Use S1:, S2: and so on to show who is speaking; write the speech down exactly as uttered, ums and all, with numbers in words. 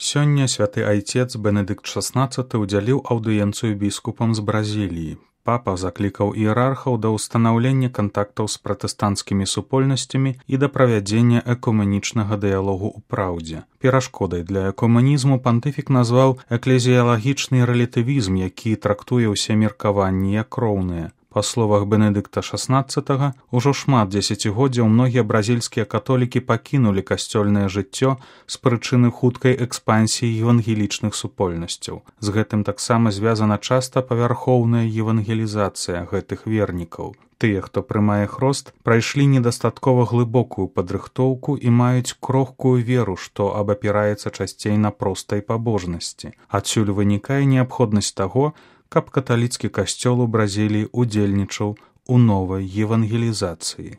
S1: Сёння святы айцец Бенедыкт шаснаццаты ўдзяліў аўдыенцыю біскупам з Бразіліі. Папа заклікаў іерархаў да ўстанаўлення кантактаў з пратэстанцкімі супольнасцямі і да правядзення экумэнічнага дыялогу ў праўдзе. Перашкодай для экумэнізму пантыфік назваў эклезіялагічны рэлятывізм, які трактуе ўсе меркаванні як роўныя. Па словах Бенедыкта шаснаццатага, ужо шмат дзесяцігоддзяў многія бразільскія католікі пакінулі касцёльнае жыццё з прычыны хуткай экспансіі евангелічных супольнасцяў. З гэтым таксама звязана часта павярхоўная евангелізацыя гэтых вернікаў. Тыя, хто прымае хрост, прайшлі недастаткова глыбокую падрыхтоўку і маюць крохкую веру, што абапіраецца часцей на простай пабожнасці. Адсюль вынікае неабходнасць таго, каб каталіцкі касцёл у Бразіліі удзельнічаў у новай евангелізацыі.